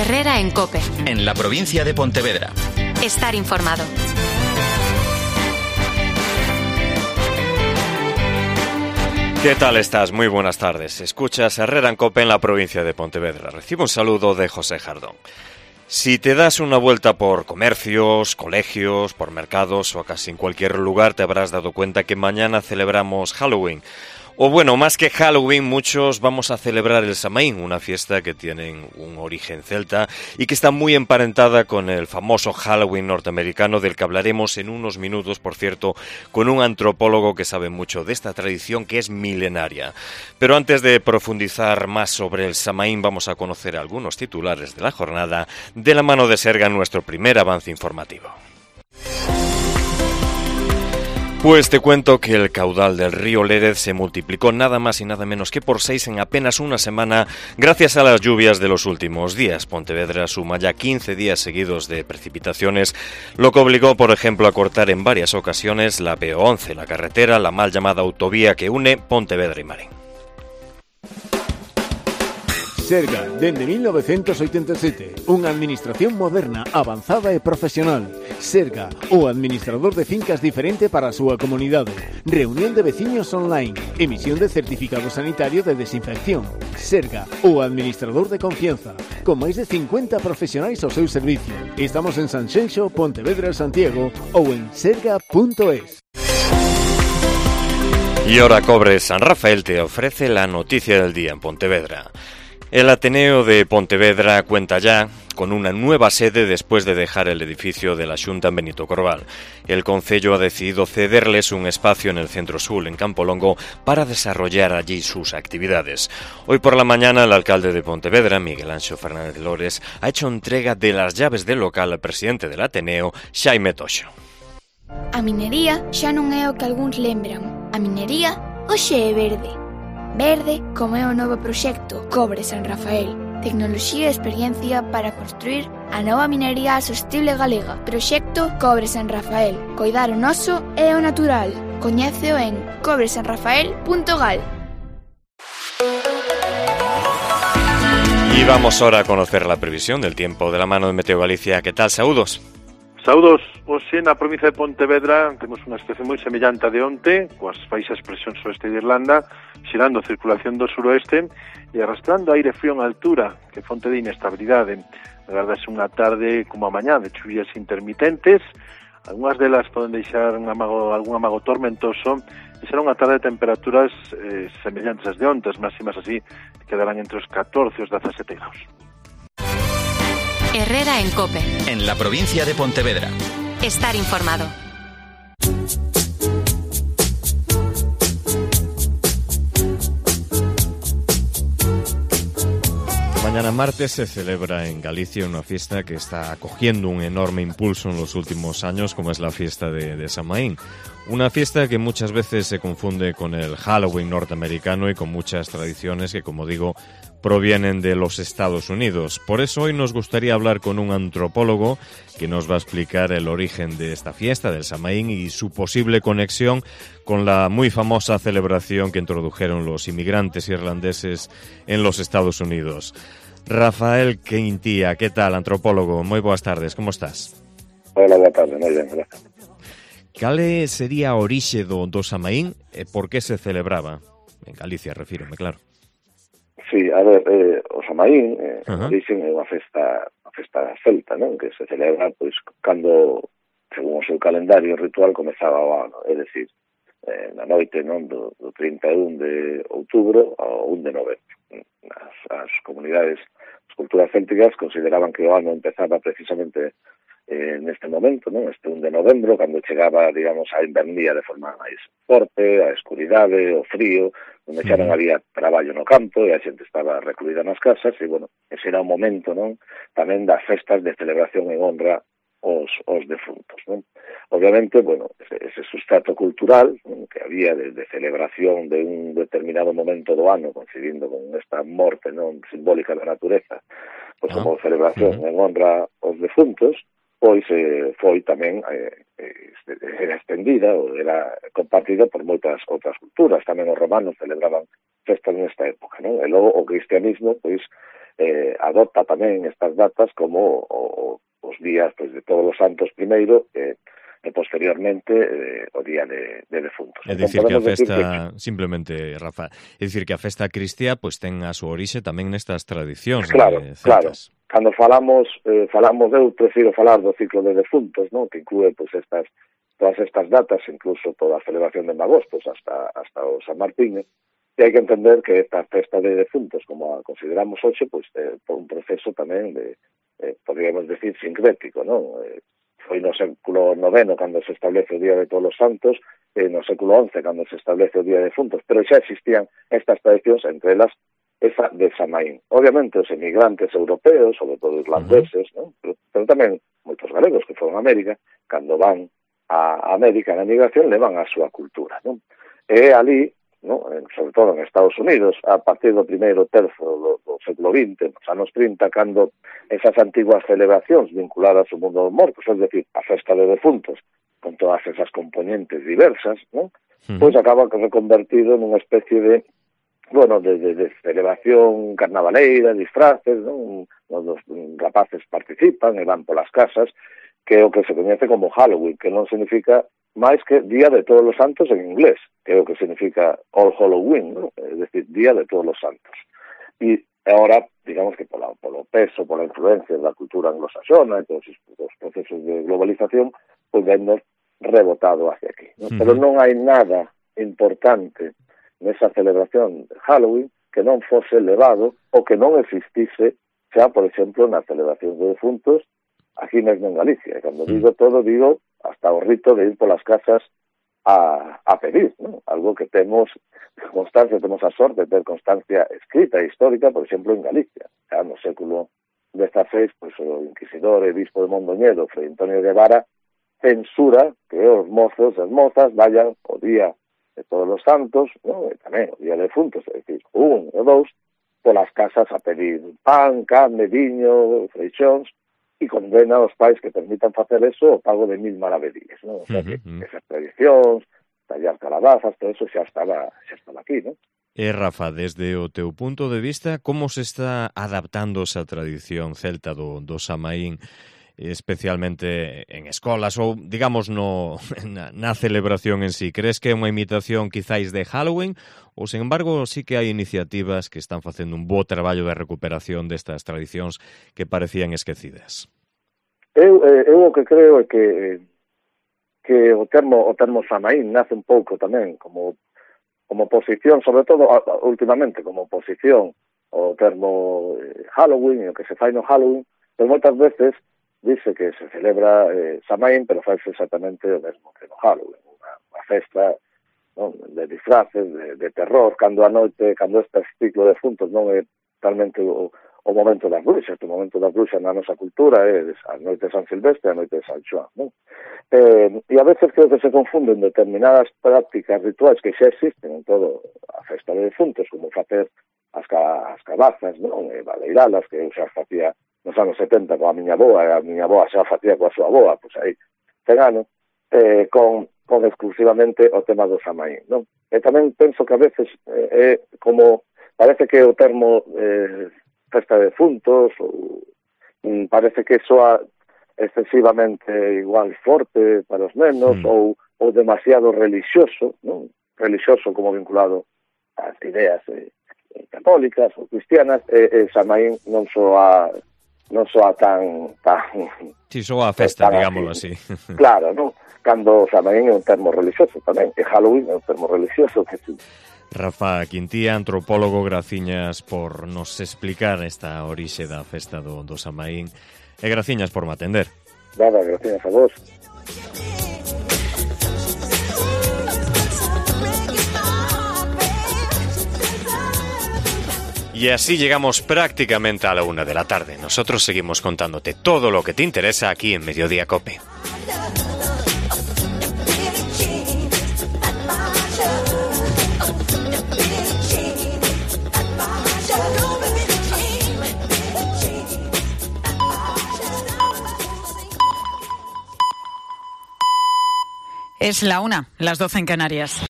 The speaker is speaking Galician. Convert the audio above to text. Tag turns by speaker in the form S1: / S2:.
S1: Herrera en COPE.
S2: En la provincia de Pontevedra.
S1: Estar informado.
S3: ¿Qué tal estás? Muy buenas tardes. Escuchas Herrera en COPE en la provincia de Pontevedra. Recibo un saludo de José Jardón. Si te das una vuelta por comercios, colegios, por mercados o casi en cualquier lugar, te habrás dado cuenta que mañana celebramos Halloween. O bueno, más que Halloween, muchos vamos a celebrar el Samaín, una fiesta que tiene un origen celta y que está muy emparentada con el famoso Halloween norteamericano, del que hablaremos en unos minutos, por cierto, con un antropólogo que sabe mucho de esta tradición que es milenaria. Pero antes de profundizar más sobre el Samaín, vamos a conocer algunos titulares de la jornada de la mano de Serga en nuestro primer avance informativo. Pues te cuento que el caudal del río Lérez se multiplicó nada más y nada menos que por 6 en apenas una semana gracias a las lluvias de los últimos días. Pontevedra suma ya 15 días seguidos de precipitaciones, lo que obligó, por ejemplo, a cortar en varias ocasiones la PO11, la carretera, la mal llamada autovía que une Pontevedra y Marín.
S4: Serga, dende 1987, unha administración moderna, avanzada e profesional. Serga, o administrador de fincas diferente para a súa comunidade. Reunión de veciños online. Emisión de certificado sanitario de desinfección. Serga, o administrador de confianza. Con máis de 50 profesionais ao seu servicio. Estamos en Sanxenxo, Pontevedra, Santiago ou en serga.es.
S3: Y ahora Cobre San Rafael te ofrece la noticia del día en Pontevedra. El Ateneo de Pontevedra cuenta ya con una nueva sede después de dejar el edificio de la Xunta en Benito Corval. El concello ha decidido cederles un espacio en el Centro Sur, en Campo Longo, para desarrollar allí sus actividades. Hoy por la mañana, el alcalde de Pontevedra, Miguel Anxo Fernández Lores, ha hecho entrega de las llaves del local al presidente del Ateneo, Xaime Toxo.
S5: A minería xa non é o que algúns lembran. A minería hoxe é verde. Verde como é o novo proxecto Cobre San Rafael. Tecnoloxía e experiencia para construir a nova minería sostible galega. Proxecto Cobre San Rafael. Coidar o noso e o natural. Coñéceo en cobresanrafael.gal.
S3: Y vamos ahora a conocer la previsión del tiempo de la mano de Meteo Galicia. ¿Qué tal? Saúdos.
S6: Saúdos, hoxe na provincia de Pontevedra temos unha situación moi semellante a de onte, coas baixas presións oeste de Irlanda, xerando a circulación do suroeste e arrastrando aire frío en altura, que fonte de inestabilidade. Agardase unha tarde como a mañá de chuvias intermitentes, algunhas delas poden deixar algún amago tormentoso, e será unha tarde de temperaturas semellantes ás de onte, as máximas así quedarán entre os 14 e os 17 graus.
S1: Herrera en COPE.
S2: En la provincia de Pontevedra.
S1: Estar informado.
S3: Mañana martes se celebra en Galicia una fiesta que está cogiendo un enorme impulso en los últimos años, como es la fiesta de Samaín. Una fiesta que muchas veces se confunde con el Halloween norteamericano y con muchas tradiciones que, como digo, provienen de los Estados Unidos. Por eso hoy nos gustaría hablar con un antropólogo que nos va a explicar el origen de esta fiesta, del Samaín, y su posible conexión con la muy famosa celebración que introdujeron los inmigrantes irlandeses en los Estados Unidos. Rafael Quintía, ¿qué tal, antropólogo? Muy buenas tardes, ¿cómo estás?
S7: Hola, boa tarde, moi ben, gracias.
S3: Cale sería a orixe do Samaín e por que se celebraba? En Galicia, refírome, claro.
S7: Sí, a ver, o Samaín, origen é unha festa celta, non? Que se celebra, pois, cando, según o seu calendario ritual, comezaba o ano, é dicir, na noite, non, do 31 de outubro ao 1 de novembro. As comunidades, as culturas célticas consideraban que o ano empezaba precisamente neste momento, non? Este 1 de novembro, cando chegaba, digamos, a invernía de forma máis forte, a escuridade, o frío, onde xa non había traballo no campo e a xente estaba recluída nas casas, e, bueno, ese era o momento, non? Tamén das festas de celebración en honra os defuntos, non? Obviamente, bueno, ese sustrato cultural, non, que había de celebración de un determinado momento do ano, coincidindo con esta morte, non, simbólica da natureza, pois como celebración en honra aos defuntos, pois foi tamén era extendida ou era compartida por moitas outras culturas. Tamén os romanos celebraban festas nesta época, non? E logo o cristianismo pois adopta tamén estas datas como os días pois, de Todos os Santos primeiro e posteriormente o día de defuntos.
S3: É dicir que a festa, simplemente, Rafa, é dicir que a festa cristía pois ten a súa orixe tamén nestas tradicións celtas.
S7: Claro. Cando falamos, eu prefiro falar do ciclo de defuntos, non? Que inclúe pois todas estas datas, incluso toda a celebración de magostos hasta o San Martín, e hai que entender que esta festa de defuntos, como a consideramos hoxe, pois por un proceso tamén de, podríamos decir, sincrético, non? Foi no século IX cando se establece o Día de Todos os Santos, no século XI cando se establece o Día de Defuntos, pero xa existían estas tradicións, entre elas esa de Samaín. Obviamente, os emigrantes europeos, sobre todo irlandeses, ¿no? pero tamén moitos galegos que foron a América, cando van a América na migración, levan a súa cultura, ¿no? E ali, ¿no? Sobre todo en Estados Unidos, a partir do primeiro terzo do século XX, nos anos 30, cando esas antiguas celebracións vinculadas ao mundo dos mortos, es decir, a festa de defuntos, con todas esas componentes diversas, ¿no? Pois acaba reconvertido nunha especie de de celebración carnavaleira, disfraces, ¿no? Os rapaces participan e van polas casas, que é o que se coñece como Halloween, que non significa máis que Día de Todos os Santos en inglés, que é o que significa All Halloween, ¿no? É dicir, Día de Todos os Santos. E ahora, digamos que polo peso, pola influencia da cultura anglosaxona e todos os procesos de globalización, pois vemos rebotado hacia aquí, ¿no? Pero non hai nada importante nesa celebración de Halloween que non fose levado ou que non existise xa, por exemplo, na celebración de defuntos aquí mesmo en Galicia. E cando digo todo, digo hasta o rito de ir polas casas a pedir, ¿no? Algo que temos constancia, temos a sorte de ter constancia escrita e histórica, por exemplo, en Galicia. Xa no século XVI, pois, o inquisidor e bispo de Mondoñedo, Fray Antonio Guevara, censura que os mozos e as mozas vayan o día de Todos os Santos, ¿no? E tamén o día de defuntos, é dicir, 1 e 2, polas casas a pedir pan, carne, viño, freixóns, e condena aos pais que permitan facer eso o pago de 1000 maravedíes, ¿no? O sea, que esas tradicións, tallar calabazas, todo eso xa estaba aquí, ¿no?
S3: Rafa, desde o teu punto de vista, como se está adaptando esa tradición celta do Samaín, especialmente en escolas ou, digamos, na celebración en sí? Crees que é unha imitación quizáis de Halloween ou, sen embargo, sí que hai iniciativas que están facendo un bo traballo de recuperación destas tradicións que parecían esquecidas?
S7: Eu o que creo é que o termo Samaín nace un pouco tamén como oposición, sobre todo últimamente como oposición ao termo Halloween e o que se fai no Halloween, pero moitas veces dice que se celebra Samaín, pero faise exactamente o mesmo que no Halloween, unha festa, non, de disfraces, de terror, cando a noite, cando este ciclo de defuntos non é talmente o momento das bruxas. O momento das bruxas na nosa cultura é a noite de San Silvestre e a noite de San Xoán, non? E a veces creo que se confunden determinadas prácticas rituais que xa existen en todo a festa de defuntos, como facer as cabazas, non? E baleiralas, que eu xa facía nos anos 70 coa miña avoa, e a miña avoa xa facía coa súa avoa, pois aí, cegano, con exclusivamente o tema do Samaín, non? E tamén penso que a veces é como, parece que o termo festa de defuntos, ou parece que soa excesivamente igual forte para os nenos, ou demasiado religioso, non? Religioso como vinculado ás ideas católicas ou cristianas, e Samaín non soa tan...
S3: Si, soa a festa, digámoslo así.
S7: Claro, non? Cando Samaín é un termo religioso tamén, e Halloween é un termo religioso que sí.
S3: Rafa Quintía, antropólogo, graciñas por nos explicar esta orixe da festa do Samaín, e graciñas por me atender.
S7: Nada, graciñas a vos.
S3: Y así llegamos prácticamente a la 1 de la tarde. Nosotros seguimos contándote todo lo que te interesa aquí en Mediodía COPE.
S8: Es la 1, las 12 en Canarias.